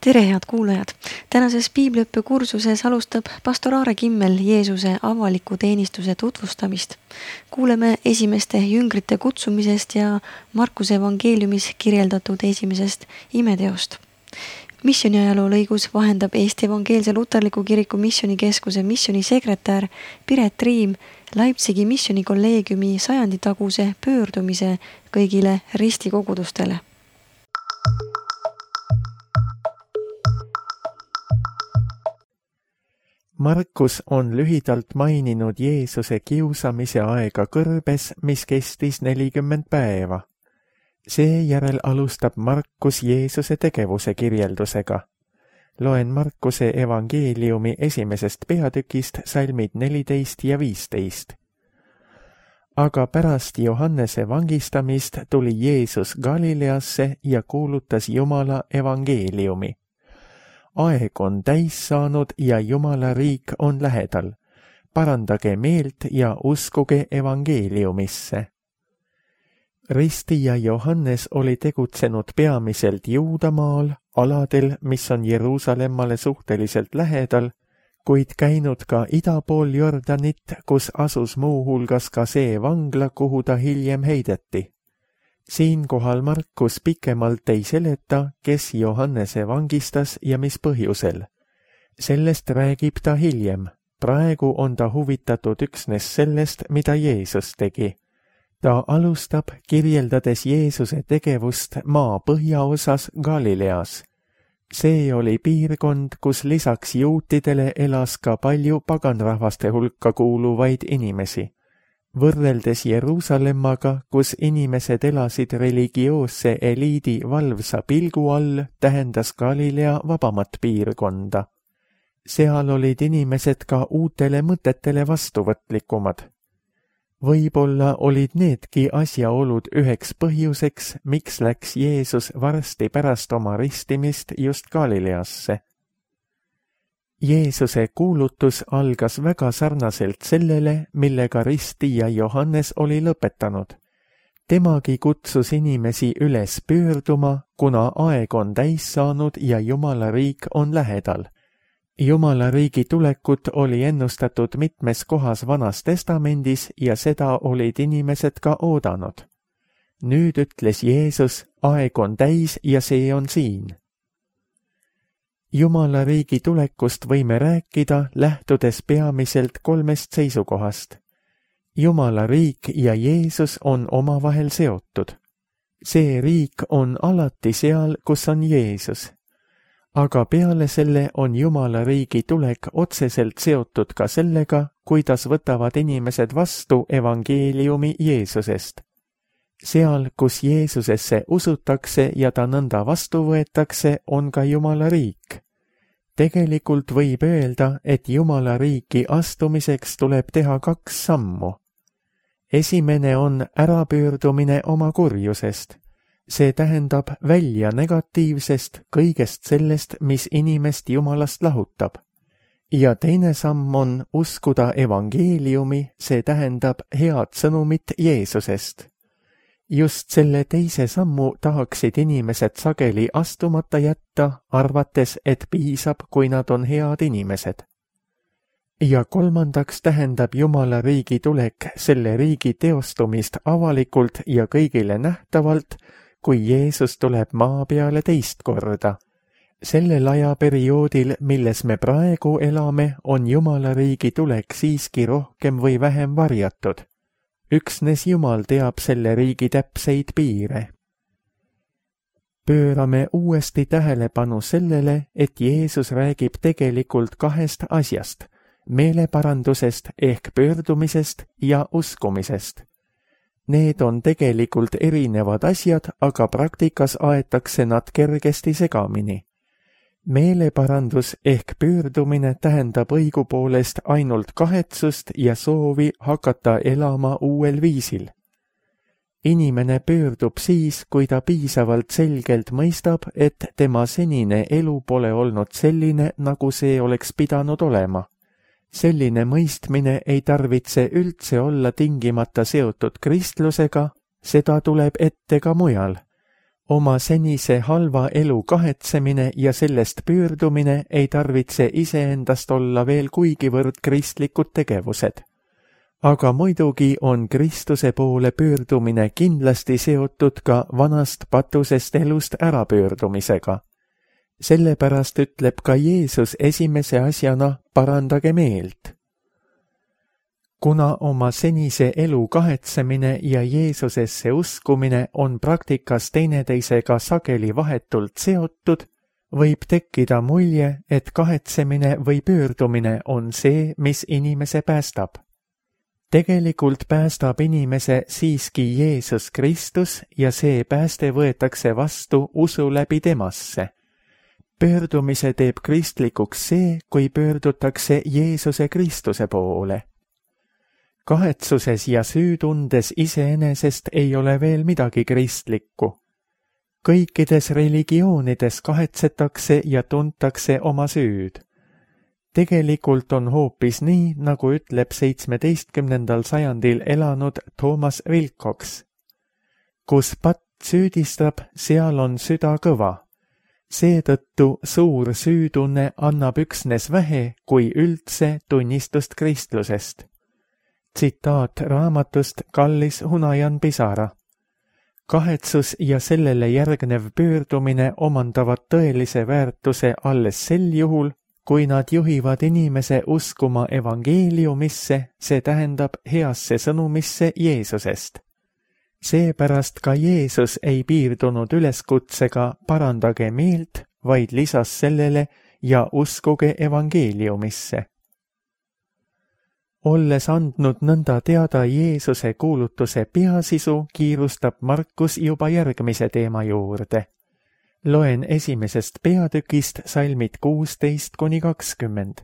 Tere, head kuulajad! Tänases piibliõppe kursuses alustab pastor Aare Kimmel Jeesuse avaliku teenistuse tutvustamist. Kuuleme esimeste jüngrite kutsumisest ja Markuse evangeeliumis kirjeldatud esimesest imeteost. Missioniajaloo lõigus vahendab Eesti Evangeelse Luterliku Kiriku Missionikeskuse missionisekretär Piret Riim Leipzigi missionikolleegiumi 100-taguse pöördumise kõigile ristikogudustele. Markus on lühidalt maininud Jeesuse kiusamise aega kõrbes, mis kestis 40 päeva. Seejärel alustab Markus Jeesuse tegevuse kirjeldusega. Loen Markuse evangeeliumi esimesest peatükist salmid 14 ja 15. Aga pärast Johannese vangistamist tuli Jeesus Galileasse ja kuulutas Jumala evangeeliumi. Aeg on täis saanud ja Jumala riik on lähedal. Parandage meelt ja uskuge evangeeliumisse. Ristija Johannes oli tegutsenud peamiselt Juudamaal, aladel, mis on Jeruusalemmale suhteliselt lähedal, kuid käinud ka ida pool Jordanit, kus asus muuhulgas ka see vangla, kuhu ta hiljem heideti. Siinkohal Markus pikemalt ei seleta, kes Johannese vangistas ja mis põhjusel. Sellest räägib ta hiljem. Praegu on ta huvitatud üksnes sellest, mida Jeesus tegi. Ta alustab kirjeldades Jeesuse tegevust maa põhjaosas Galileas. See oli piirkond, kus lisaks juutidele elas ka palju paganrahvaste hulka kuuluvaid inimesi. Võrreldes Jeruusalemmaga, kus inimesed elasid religioosse eliidi valvsa pilgu all, tähendas Galilea vabamat piirkonda. Seal olid inimesed ka uutele mõtetele vastuvõtlikumad. Võib-olla olid needki asjaolud üheks põhjuseks, miks läks Jeesus varsti pärast oma ristimist just Galileasse. Jeesuse kuulutus algas väga sarnaselt sellele, millega ristija Johannes oli lõpetanud. Temagi kutsus inimesi üles pöörduma, kuna aeg on täis saanud ja Jumala riik on lähedal. Jumala riigi tulekut oli ennustatud mitmes kohas Vanas Testamendis ja seda olid inimesed ka oodanud. Nüüd ütles Jeesus, aeg on täis ja see on siin. Jumala riigi tulekust võime rääkida, lähtudes peamiselt 3 seisukohast. Jumala riik ja Jeesus on omavahel seotud. See riik on alati seal, kus on Jeesus. Aga peale selle on Jumala riigi tulek otseselt seotud ka sellega, kuidas võtavad inimesed vastu evangeeliumi Jeesusest. Seal, kus Jeesusesse usutakse ja ta nõnda vastu võetakse, on ka Jumala riik. Tegelikult võib öelda, et Jumala riiki astumiseks tuleb teha 2 sammu. Esimene on ärapöördumine oma kurjusest. See tähendab välja negatiivsest, kõigest sellest, mis inimest Jumalast lahutab. Ja teine samm on uskuda evangeeliumi, see tähendab head sõnumit Jeesusest. Just selle teise sammu tahaksid inimesed sageli astumata jätta, arvates, et piisab, kui nad on head inimesed. Ja kolmandaks tähendab Jumala riigi tulek selle riigi teostumist avalikult ja kõigile nähtavalt, kui Jeesus tuleb maa peale teist korda. Sellel ajaperioodil, milles me praegu elame, on Jumala riigi tulek siiski rohkem või vähem varjatud. Üksnes Jumal teab selle riigi täpseid piire. Pöörame uuesti tähelepanu sellele, et Jeesus räägib tegelikult 2 asjast, meeleparandusest ehk pöördumisest ja uskumisest. Need on tegelikult erinevad asjad, aga praktikas aetakse nad kergesti segamini. Meeleparandus ehk pöördumine tähendab õigupoolest ainult kahetsust ja soovi hakata elama uuel viisil. Inimene pöördub siis, kui ta piisavalt selgelt mõistab, et tema senine elu pole olnud selline, nagu see oleks pidanud olema. Selline mõistmine ei tarvitse üldse olla tingimata seotud kristlusega, seda tuleb ette ka mujal. Oma senise halva elu kahetsemine ja sellest pöördumine ei tarvitse iseendast olla veel kuigivõrd kristlikud tegevused. Aga muidugi on Kristuse poole pöördumine kindlasti seotud ka vanast patusest elust ärapöördumisega. Sellepärast ütleb ka Jeesus esimese asjana, parandage meelt. Kuna oma senise elu kahetsemine ja Jeesusesse uskumine on praktikas teineteisega sageli vahetult seotud, võib tekkida mulje, et kahetsemine või pöördumine on see, mis inimese päästab. Tegelikult päästab inimese siiski Jeesus Kristus ja see pääste võetakse vastu usu läbi temasse. Pöördumise teeb kristlikuks see, kui pöördutakse Jeesuse Kristuse poole. Kahetsuses ja süütundes iseenesest ei ole veel midagi kristlikku. Kõikides religioonides kahetsetakse ja tuntakse oma süüd. Tegelikult on hoopis nii, nagu ütleb 17. sajandil elanud Thomas Wilcox. Kus patt süüdistab, seal on süda kõva. Seetõttu suur süütunne annab üksnes vähe, kui üldse tunnistust kristlusest. Tsitaat raamatust Kallis Hunajan pisara. Kahetsus ja sellele järgnev pöördumine omandavad tõelise väärtuse alles sel juhul, kui nad juhivad inimese uskuma evangeeliumisse, see tähendab heasse sõnumisse Jeesusest. Seepärast ka Jeesus ei piirdunud üleskutsega parandage meelt, vaid lisas sellele ja uskuge evangeeliumisse. Olles andnud nõnda teada Jeesuse kuulutuse peasisu, kiirustab Markus juba järgmise teema juurde. Loen esimesest peatükist salmid 16–20.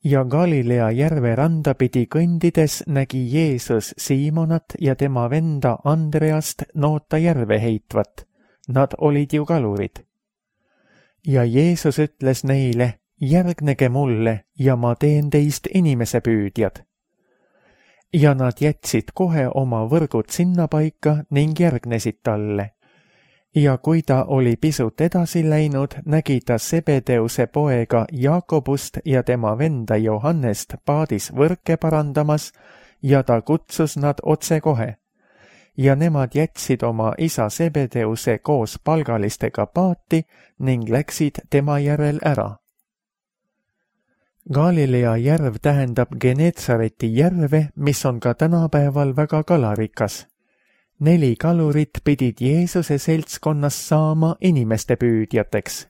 Ja Galilea järve randa pidi kõndides nägi Jeesus Siimonat ja tema venda Andreast noota järve heitvat. Nad olid ju kalurid. Ja Jeesus ütles neile, järgnege mulle ja ma teen teist inimesepüüdjad. Ja nad jätsid kohe oma võrgud sinnapaika ning järgnesid talle. Ja kui ta oli pisut edasi läinud, nägi ta Sebedeuse poega Jaakobust ja tema venda Johannest paadis võrke parandamas ja ta kutsus nad otsekohe. Ja nemad jätsid oma isa Sebedeuse koos palgalistega paati ning läksid tema järel ära. Galilea järv tähendab Genetsareti järve, mis on ka tänapäeval väga kalarikas. 4 kalurit pidid Jeesuse seltskonnas saama inimeste püüdjateks.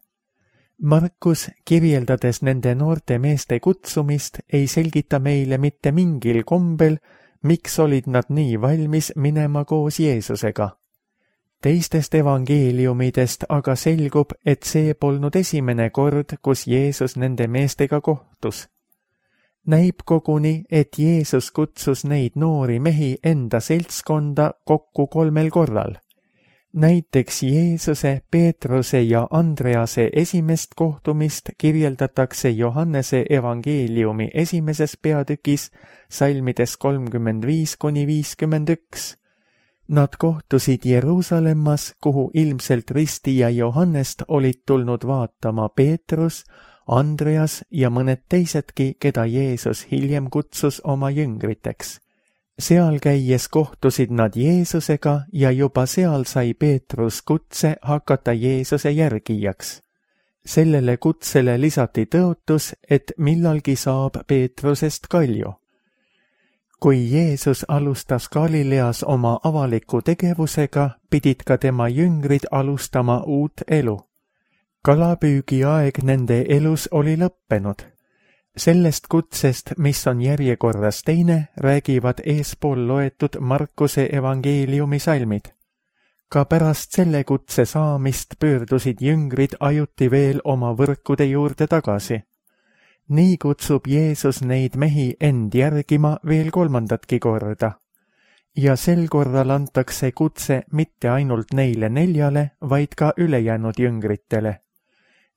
Markus, kirjeldades nende noorte meeste kutsumist, ei selgita meile mitte mingil kombel, miks olid nad nii valmis minema koos Jeesusega. Teistest evangeeliumidest aga selgub, et see polnud esimene kord, kus Jeesus nende meestega kohtus. Näib koguni, et Jeesus kutsus neid noori mehi enda seltskonda kokku 3 korral. Näiteks Jeesuse, Peetruse ja Andrease esimest kohtumist kirjeldatakse Johannese evangeeliumi 1. peatükis salmides 35–51. Nad kohtusid Jeruusalemmas, kuhu ilmselt ristija Johannest olid tulnud vaatama Peetrus, Andreas ja mõned teisedki, keda Jeesus hiljem kutsus oma jüngriteks. Seal käies kohtusid nad Jeesusega ja juba seal sai Peetrus kutse hakata Jeesuse järgijaks. Sellele kutsele lisati tõotus, et millalgi saab Peetrusest kalju. Kui Jeesus alustas Galileas oma avaliku tegevusega, pidid ka tema jüngrid alustama uut elu. Kalapüügi aeg nende elus oli lõppenud. Sellest kutsest, mis on järjekorras teine, räägivad eespool loetud Markuse evangeeliumi salmid. Ka pärast selle kutse saamist pöördusid jüngrid ajuti veel oma võrkude juurde tagasi. Nii kutsub Jeesus neid mehi end järgima veel 3. korda. Ja sel korral antakse kutse mitte ainult neile 4, vaid ka ülejäänud jüngritele.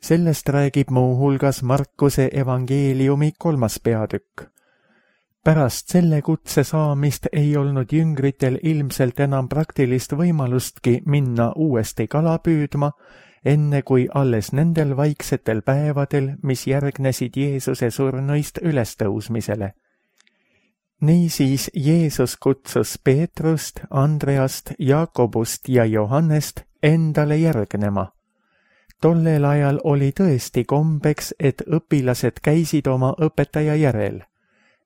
Sellest räägib muu hulgas Markuse evangeeliumi 3. peatükk. Pärast selle kutse saamist ei olnud jüngritel ilmselt enam praktilist võimalustki minna uuesti kala püüdma, enne kui alles nendel vaiksetel päevadel, mis järgnesid Jeesuse surnuist ülestõusmisele. Niisiis Jeesus kutsus Peetrust, Andreast, Jaakobust ja Johannest endale järgnema. Tollel ajal oli tõesti kombeks, et õpilased käisid oma õpetaja järel.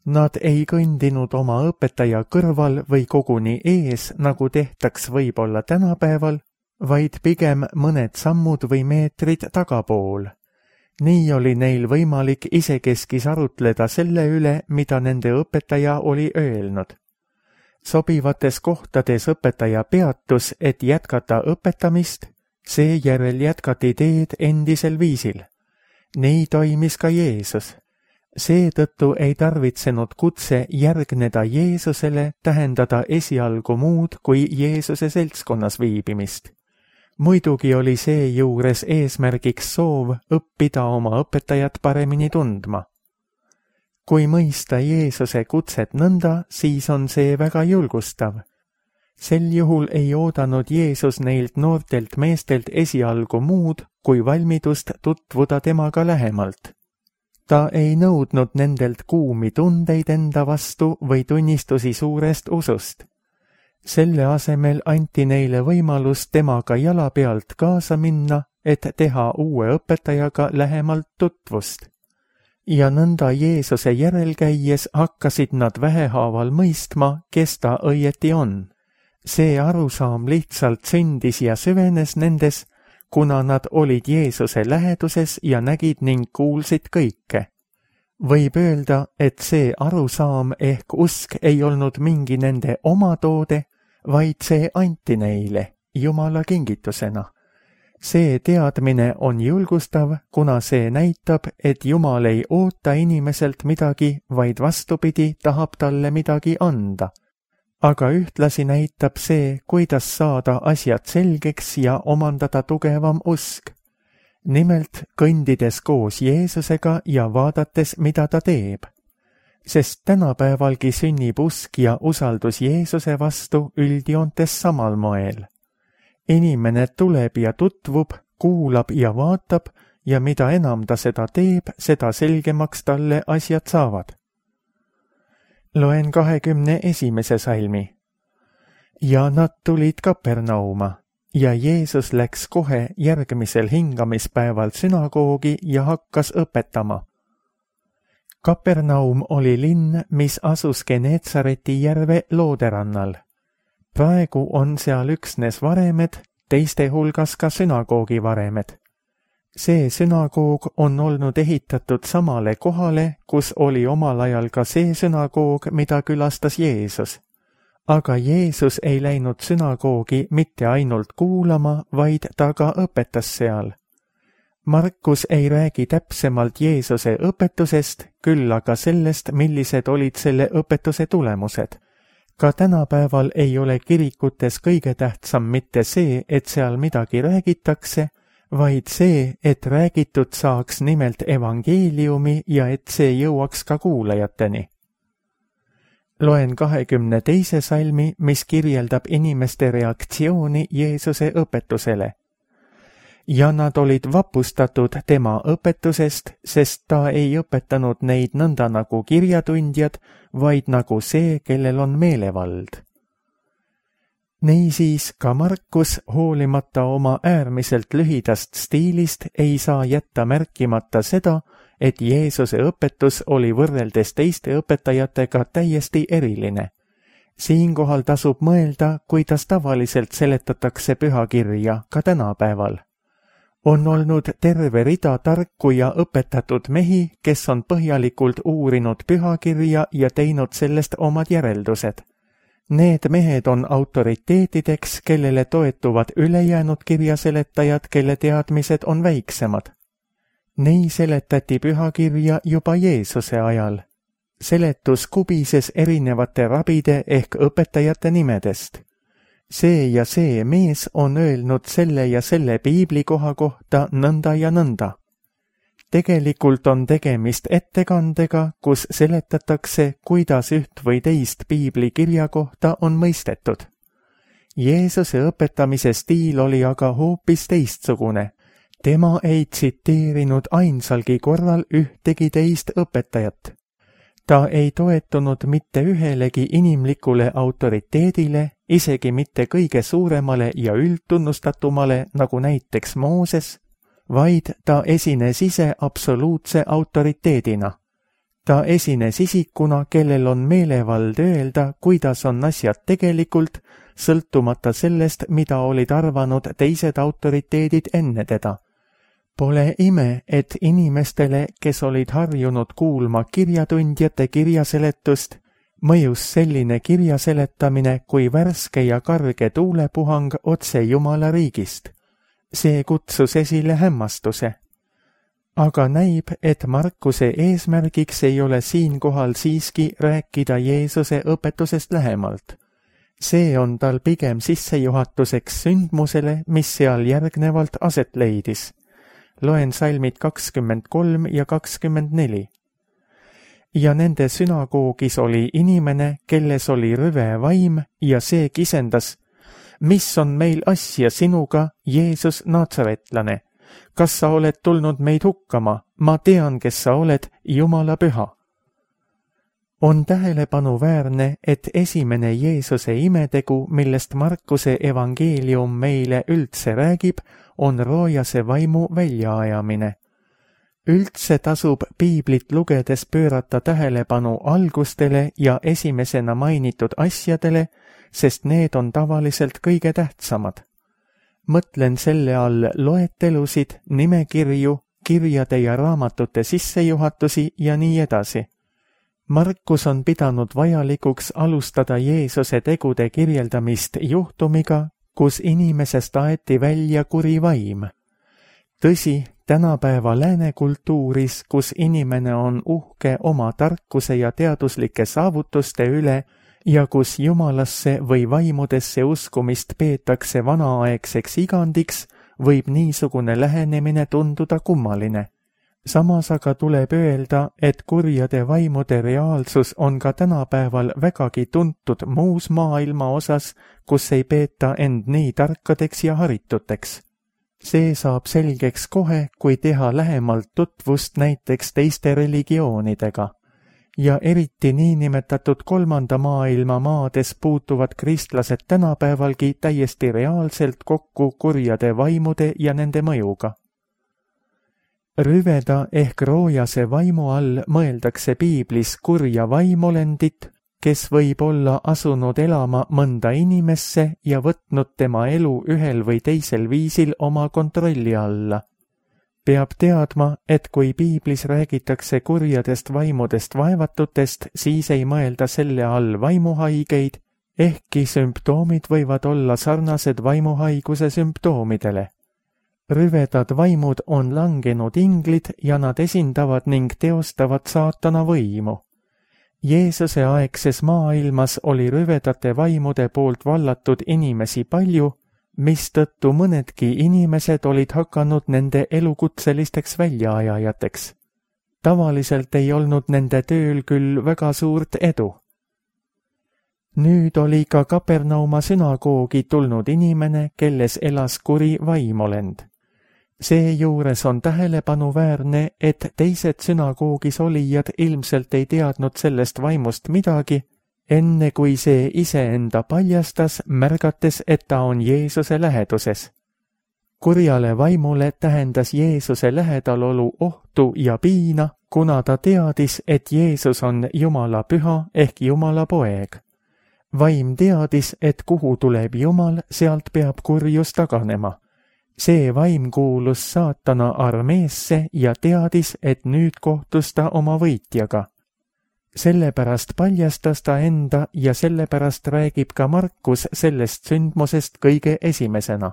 Nad ei kõndinud oma õpetaja kõrval või koguni ees, nagu tehtaks võib-olla tänapäeval, vaid pigem mõned sammud või meetrid tagapool. Nii oli neil võimalik isekeskis arutleda selle üle, mida nende õpetaja oli öelnud. Sobivates kohtades õpetaja peatus, et jätkata õpetamist, seejärel jätkati teed endisel viisil. Nii toimis ka Jeesus. Seetõttu ei tarvitsenud kutse järgneda Jeesusele tähendada esialgu muud kui Jeesuse seltskonnas viibimist. Muidugi oli seejuures eesmärgiks soov õppida oma õpetajat paremini tundma. Kui mõista Jeesuse kutset nõnda, siis on see väga julgustav. Sel juhul ei oodanud Jeesus neilt noortelt meestelt esialgu muud kui valmidust tutvuda temaga lähemalt. Ta ei nõudnud nendelt kuumi tundeid enda vastu või tunnistusi suurest usust. Selle asemel anti neile võimalus temaga jala pealt kaasa minna, et teha uue õpetajaga lähemalt tutvust. Ja nõnda Jeesuse järel käies hakkasid nad vähehaaval mõistma, kes ta õieti on. See arusaam lihtsalt sündis ja süvenes nendes, kuna nad olid Jeesuse läheduses ja nägid ning kuulsid kõike. Võib öelda, et see arusaam ehk usk ei olnud mingi nende oma toode, vaid see anti neile Jumala kingitusena. See teadmine on julgustav, kuna see näitab, et Jumal ei oota inimeselt midagi, vaid vastupidi tahab talle midagi anda. Aga ühtlasi näitab see, kuidas saada asjad selgeks ja omandada tugevam usk. Nimelt kõndides koos Jeesusega ja vaadates, mida ta teeb. Sest tänapäevalgi sünnib usk ja usaldus Jeesuse vastu üldjoontes samal moel. Inimene tuleb ja tutvub, kuulab ja vaatab ja mida enam ta seda teeb, seda selgemaks talle asjad saavad. Loen 21. salmi. Ja nad tulid Kapernauma ja Jeesus läks kohe järgmisel hingamispäeval sünagoogi ja hakkas õpetama. Kapernaum oli linn, mis asus Geneetsareti järve looderannal. Praegu on seal üksnes varemed, teiste hulgas ka sünagoogi varemed. See sünagoog on olnud ehitatud samale kohale, kus oli omal ajal ka see sünagoog, mida külastas Jeesus. Aga Jeesus ei läinud sünagoogi mitte ainult kuulama, vaid ta ka õpetas seal. Markus ei räägi täpsemalt Jeesuse õpetusest, küll aga sellest, millised olid selle õpetuse tulemused. Ka tänapäeval ei ole kirikutes kõige tähtsam mitte see, et seal midagi räägitakse, vaid see, et räägitud saaks nimelt evangeeliumi ja et see jõuaks ka kuulajateni. Loen 22. salmi, mis kirjeldab inimeste reaktsiooni Jeesuse õpetusele. Ja nad olid vapustatud tema õpetusest, sest ta ei õpetanud neid nõnda nagu kirjatundjad, vaid nagu see, kellel on meelevald. Niisiis ka Markus, hoolimata oma äärmiselt lühidast stiilist, ei saa jätta märkimata seda, et Jeesuse õpetus oli võrreldes teiste õpetajatega täiesti eriline. Siinkohal tasub mõelda, kuidas tavaliselt seletatakse pühakirja ka tänapäeval. On olnud terve rida tarku ja õpetatud mehi, kes on põhjalikult uurinud pühakirja ja teinud sellest omad järeldused. Need mehed on autoriteetideks, kellele toetuvad ülejäänud kirjaseletajad, kelle teadmised on väiksemad. Nii seletati pühakirja juba Jeesuse ajal. Seletus kubises erinevate rabide ehk õpetajate nimedest. See ja see mees on öelnud selle ja selle piiblikoha kohta nõnda ja nõnda. tegelikult on tegemist ettekandega, kus seletatakse, kuidas üht või teist piibli kirja kohta on mõistetud. Jeesuse õpetamise stiil oli aga hoopis teistsugune. Tema ei tsiteerinud ainsalgi korral ühtegi teist õpetajat. Ta ei toetunud mitte ühelegi inimlikule autoriteedile, isegi mitte kõige suuremale ja üldtunnustatumale, nagu näiteks Mooses, vaid ta esines ise absoluutse autoriteedina. Ta esines isikuna, kellel on meelevald öelda, kuidas on asjad tegelikult, sõltumata sellest, mida olid arvanud teised autoriteedid enne teda. Pole ime, et inimestele, kes olid harjunud kuulma kirjatundjate kirjaseletust, mõjus selline kirjaseletamine kui värske ja karge tuulepuhang otse Jumala riigist. See kutsus esile hämmastuse. Aga näib, et Markuse eesmärgiks ei ole siinkohal siiski rääkida Jeesuse õpetusest lähemalt. See on tal pigem sissejuhatuseks sündmusele, mis seal järgnevalt aset leidis. Loen salmid 23 ja 24. Ja nende sünagoogis oli inimene, kelles oli rõve vaim ja see kisendas: mis on meil asja sinuga, Jeesus Natsaretlane? Kas sa oled tulnud meid hukkama? Ma tean, kes sa oled, Jumala püha. On tähelepanuväärne, et esimene Jeesuse imetegu, millest Markuse evangeelium meile üldse räägib, on roojase vaimu väljaajamine. Üldse tasub piiblit lugedes pöörata tähelepanu algustele ja esimesena mainitud asjadele, sest need on tavaliselt kõige tähtsamad. Mõtlen selle all loetelusid, nimekirju, kirjade ja raamatute sissejuhatusi ja nii edasi. Markus on pidanud vajalikuks alustada Jeesuse tegude kirjeldamist juhtumiga, kus inimesest aeti välja kuri vaim. Tõsi, tänapäeva lääne kultuuris, kus inimene on uhke oma tarkuse ja teaduslike saavutuste üle ja kus Jumalasse või vaimudesse uskumist peetakse vanaaegseks igandiks, võib niisugune lähenemine tunduda kummaline. Samas aga tuleb öelda, et kurjade vaimude reaalsus on ka tänapäeval vägagi tuntud muus maailma osas, kus ei peeta end nii tarkadeks ja harituteks. See saab selgeks kohe, kui teha lähemalt tutvust näiteks teiste religioonidega. Ja eriti niinimetatud kolmanda maailma maades puutuvad kristlased tänapäevalgi täiesti reaalselt kokku kurjade vaimude ja nende mõjuga. Rüveda ehk roojase vaimu all mõeldakse piiblis kurja vaimolendit, kes võib olla asunud elama mõnda inimesse ja võtnud tema elu ühel või teisel viisil oma kontrolli alla. Peab teadma, et kui piiblis räägitakse kurjadest vaimudest vaevatutest, siis ei mõelda selle all vaimuhaigeid, ehkki sümptoomid võivad olla sarnased vaimuhaiguse sümptoomidele. Rüvedad vaimud on langenud inglid ja nad esindavad ning teostavad saatana võimu. Jeesuse aegses maailmas oli rüvedate vaimude poolt vallatud inimesi palju, mistõttu mõnedki inimesed olid hakanud nende elukutselisteks väljaajajateks. Tavaliselt ei olnud nende tööl küll väga suurt edu. Nüüd oli ka Kapernauma sünagoogi tulnud inimene, kelles elas kuri vaimolend. Seejuures on tähelepanuväärne, et teised sünagoogis olijad ilmselt ei teadnud sellest vaimust midagi, enne kui see iseenda paljastas, märgates, et ta on Jeesuse läheduses. Kurjale vaimule tähendas Jeesuse lähedalolu ohtu ja piina, kuna ta teadis, et Jeesus on Jumala püha ehk Jumala poeg. Vaim teadis, et kuhu tuleb Jumal, sealt peab kurjus taganema. See vaim kuulus saatana armeesse ja teadis, et nüüd kohtus ta oma võitjaga. Sellepärast paljastas ta enda ja sellepärast räägib ka Markus sellest sündmusest kõige esimesena.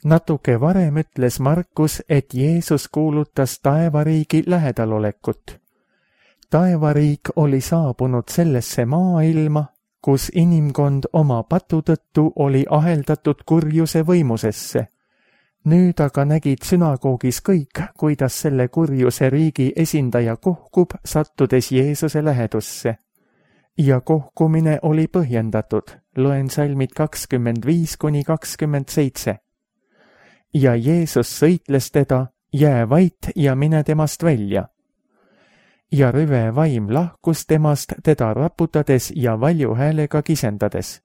Natuke varem ütles Markus, et Jeesus kuulutas taevariigi lähedalolekut. Taevariik oli saabunud sellesse maailma, kus inimkond oma patu tõttu oli aheldatud kurjuse võimusesse. Nüüd aga nägid sünagoogis kõik, kuidas selle kurjuse riigi esindaja kohkub, sattudes Jeesuse lähedusse. Ja kohkumine oli põhjendatud, loen salmid 25–27. Ja Jeesus sõitles teda, jää vait ja mine temast välja. Ja rüve vaim lahkus temast teda raputades ja valju häälega kisendades.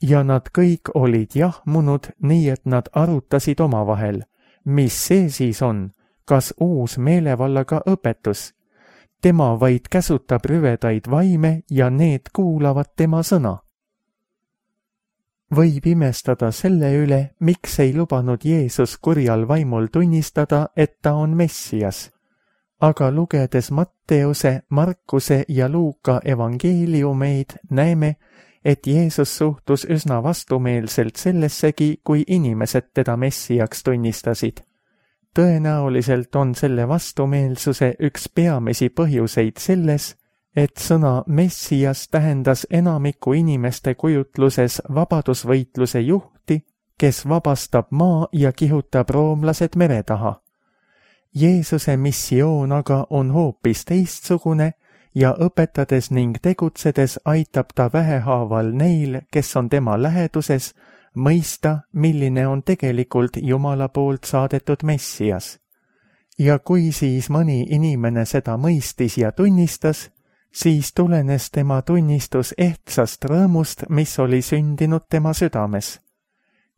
Ja nad kõik olid jahmunud, nii et nad arutasid omavahel, mis see siis on, kas uus meelevallaga õpetus. Tema vaid käsutab rüvedaid vaime ja need kuulavad tema sõna. Võib imestada selle üle, miks ei lubanud Jeesus kurjal vaimul tunnistada, et ta on Messias. Aga lugedes Matteuse, Markuse ja Luuka evangeeliumeid näeme, et Jeesus suhtus üsna vastumeelselt sellessegi, kui inimesed teda Messiaks tunnistasid. Tõenäoliselt on selle vastumeelsuse üks peamisi põhjuseid selles, et sõna Messias tähendas enamiku inimeste kujutluses vabadusvõitluse juhti, kes vabastab maa ja kihutab roomlased mere taha. Jeesuse missioon aga on hoopis teistsugune ja õpetades ning tegutsedes aitab ta vähehaaval neil, kes on tema läheduses, mõista, milline on tegelikult Jumala poolt saadetud Messias. Ja kui siis mõni inimene seda mõistis ja tunnistas, siis tulenes tema tunnistus ehtsast rõõmust, mis oli sündinud tema südames.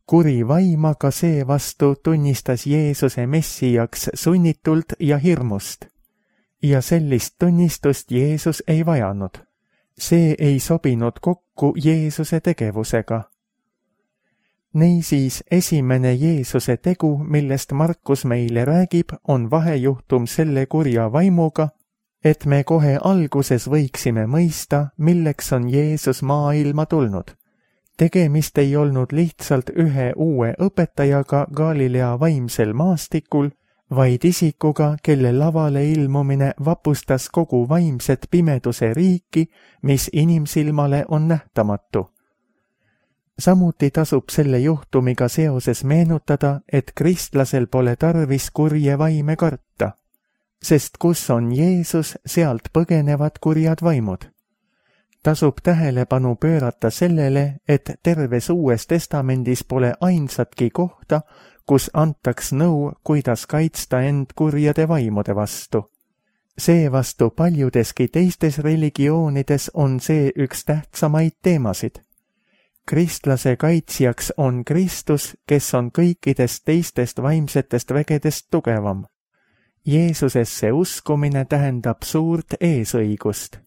Kuri vaim aga seevastu tunnistas Jeesuse Messiaks sunnitult ja hirmust. Ja sellist tunnistust Jeesus ei vajanud. See ei sobinud kokku Jeesuse tegevusega. Niisiis esimene Jeesuse tegu, millest Markus meile räägib, on vahejuhtum selle kurja vaimuga, et me kohe alguses võiksime mõista, milleks on Jeesus maailma tulnud. Tegemist ei olnud lihtsalt ühe uue õpetajaga Galilea vaimsel maastikul, vaid isikuga, kelle lavale ilmumine vapustas kogu vaimset pimeduse riiki, mis inimsilmale on nähtamatu. Samuti tasub selle juhtumiga seoses meenutada, et kristlasel pole tarvis kurje vaime karta, sest kus on Jeesus, sealt põgenevad kurjad vaimud. Tasub tähelepanu pöörata sellele, et terves Uues Testamendis pole ainsatki kohta, kus antaks nõu, kuidas kaitsta end kurjade vaimude vastu. Seevastu paljudeski teistes religioonides on see üks tähtsamaid teemasid. Kristlase kaitsjaks on Kristus, kes on kõikidest teistest vaimsetest vägedest tugevam. Jeesusesse uskumine tähendab suurt eesõigust.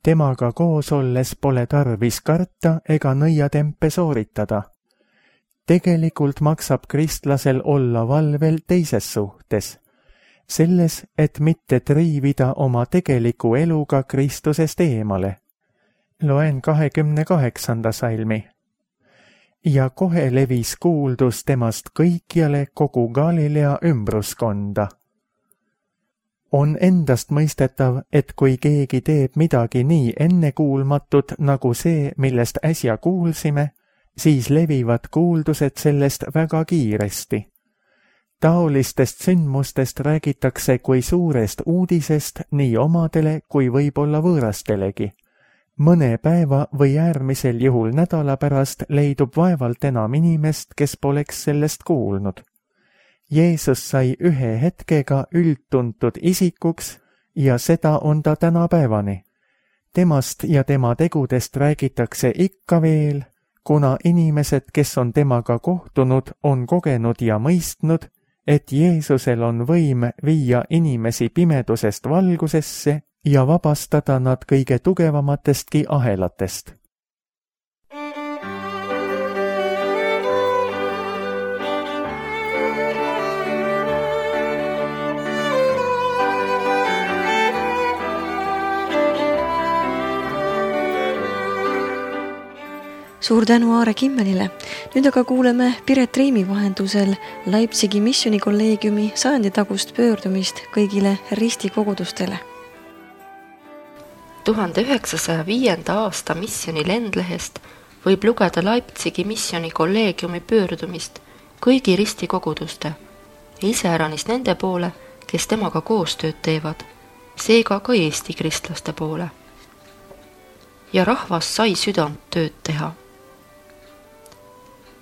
Temaga koos olles pole tarvis karta ega nõiatempe sooritada. Tegelikult maksab kristlasel olla valvel teises suhtes, selles, et mitte triivida oma tegeliku eluga Kristusest eemale. Loen 28. salmi. Ja kohe levis kuuldus temast kõikjale kogu Galilea ümbruskonda. On endast mõistetav, et kui keegi teeb midagi nii ennekuulmatut nagu see, millest äsja kuulsime, siis levivad kuuldused sellest väga kiiresti. Taolistest sündmustest räägitakse kui suurest uudisest nii omadele kui võib-olla võõrastelegi. Mõne päeva või äärmisel juhul nädala pärast leidub vaevalt enam inimest, kes poleks sellest kuulnud. Jeesus sai ühe hetkega üldtuntud isikuks ja seda on ta tänapäevani. Temast ja tema tegudest räägitakse ikka veel, kuna inimesed, kes on temaga kohtunud, on kogenud ja mõistnud, et Jeesusel on võim viia inimesi pimedusest valgusesse ja vabastada nad kõige tugevamatestki ahelatest. Suur tänu Aare Kimmelile. Nüüd aga kuuleme Piret Riimi vahendusel Leipzigi missioonikolleegiumi 100. tagust pöördumist kõigile ristikogudustele. 1905. aasta missiooni lendlehest võib lugeda Leipzigi missioonikolleegiumi pöördumist, kõigi ristikoguduste, iseäranis nende poole, kes temaga koostööd teevad, seega ka Eesti kristlaste poole. Ja rahvas sai südant tööd teha.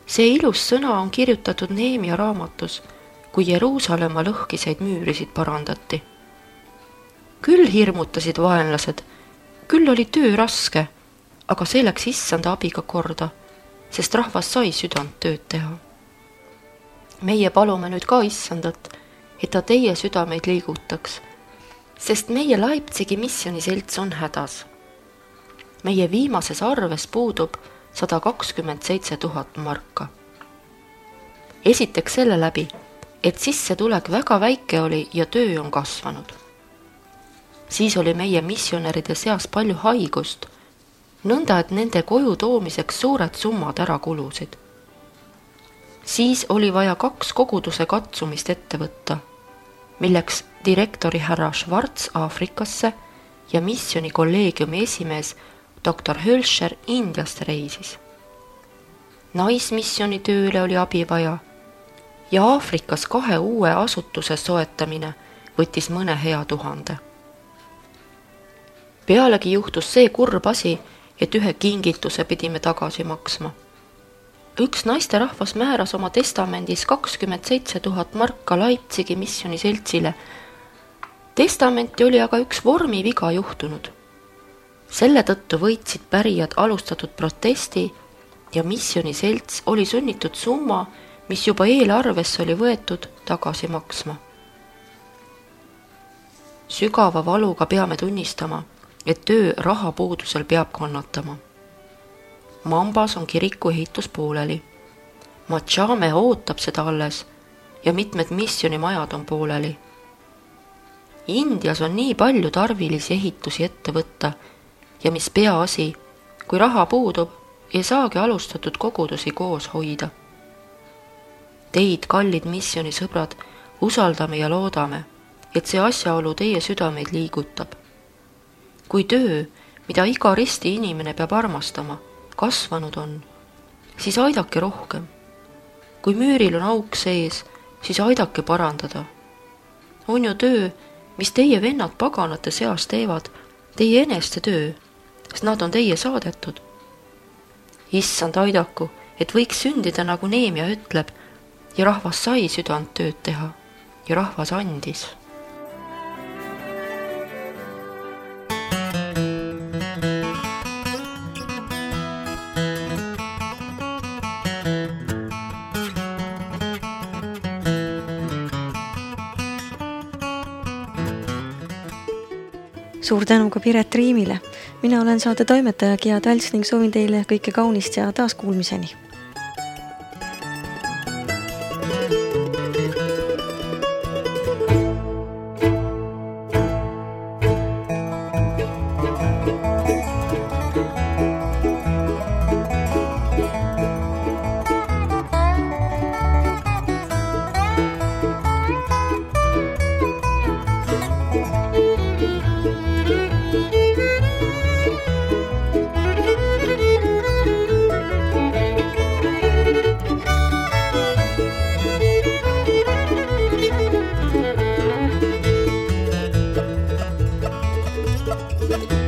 See ilus sõna on kirjutatud Neemia raamatus, kui Jeruusalemma lõhkiseid müürisid parandati. Küll hirmutasid vaenlased, küll oli töö raske, aga see läks issanda abiga korda, sest rahvas sai südant tööd teha. Meie palume nüüd ka issandat, et ta teie südameid liigutaks, sest meie Leipzigi missioniselts on hädas. Meie viimases arves puudub 127 000 marka. Esiteks selle läbi, et sissetulek väga väike oli ja töö on kasvanud. Siis oli meie missionäride seas palju haigust, nõnda et nende koju toomiseks suured summad ära kulusid. Siis oli vaja 2 koguduse katsumist ette võtta, milleks direktori härra Schwarz Aafrikasse ja missioni kolleegiumi esimees doktor Hölscher Indiast reisis. Naismissioni tööle oli abi vaja ja Aafrikas 2 uue asutuse soetamine võttis mõne hea 1000. Pealegi juhtus see kurb asi, et ühe kingituse pidime tagasi maksma. Üks naisterahvas määras oma testamendis 27 000 marka Leipzigi missioniseltsile. Testamenti oli aga üks vormiviga juhtunud. Selle tõttu võitsid pärijad alustatud protesti ja missioniselts oli sunnitud summa, mis juba eelarvesse oli võetud, tagasi maksma. Sügava valuga peame tunnistama, et töö rahapuudusel peab kannatama. Mambas on kiriku ehitus pooleli. Machame ootab seda alles ja mitmed missionimajad on pooleli. Indias on nii palju tarvilisi ehitusi ette võtta ja mis peaasi, kui raha puudub, ei saagi alustatud kogudusi koos hoida. Teid, kallid missionisõbrad, usaldame ja loodame, et see asjaolu teie südameid liigutab. Kui töö, mida iga risti inimene peab armastama, kasvanud on, siis aidake rohkem. Kui müüril on auk sees, siis aidake parandada. On ju töö, mis teie vennad paganate seas teevad, teie eneste töö, sest nad on teie saadetud. Issand aidaku, et võiks sündida nagu Neemia ütleb, ja rahvas sai südant tööd teha ja rahvas andis. Suur tänu ka Piret Riimile. Mina olen saate toimetaja Gia Talts ning soovin teile kõike kaunist ja taas kuulmiseni. Thank you.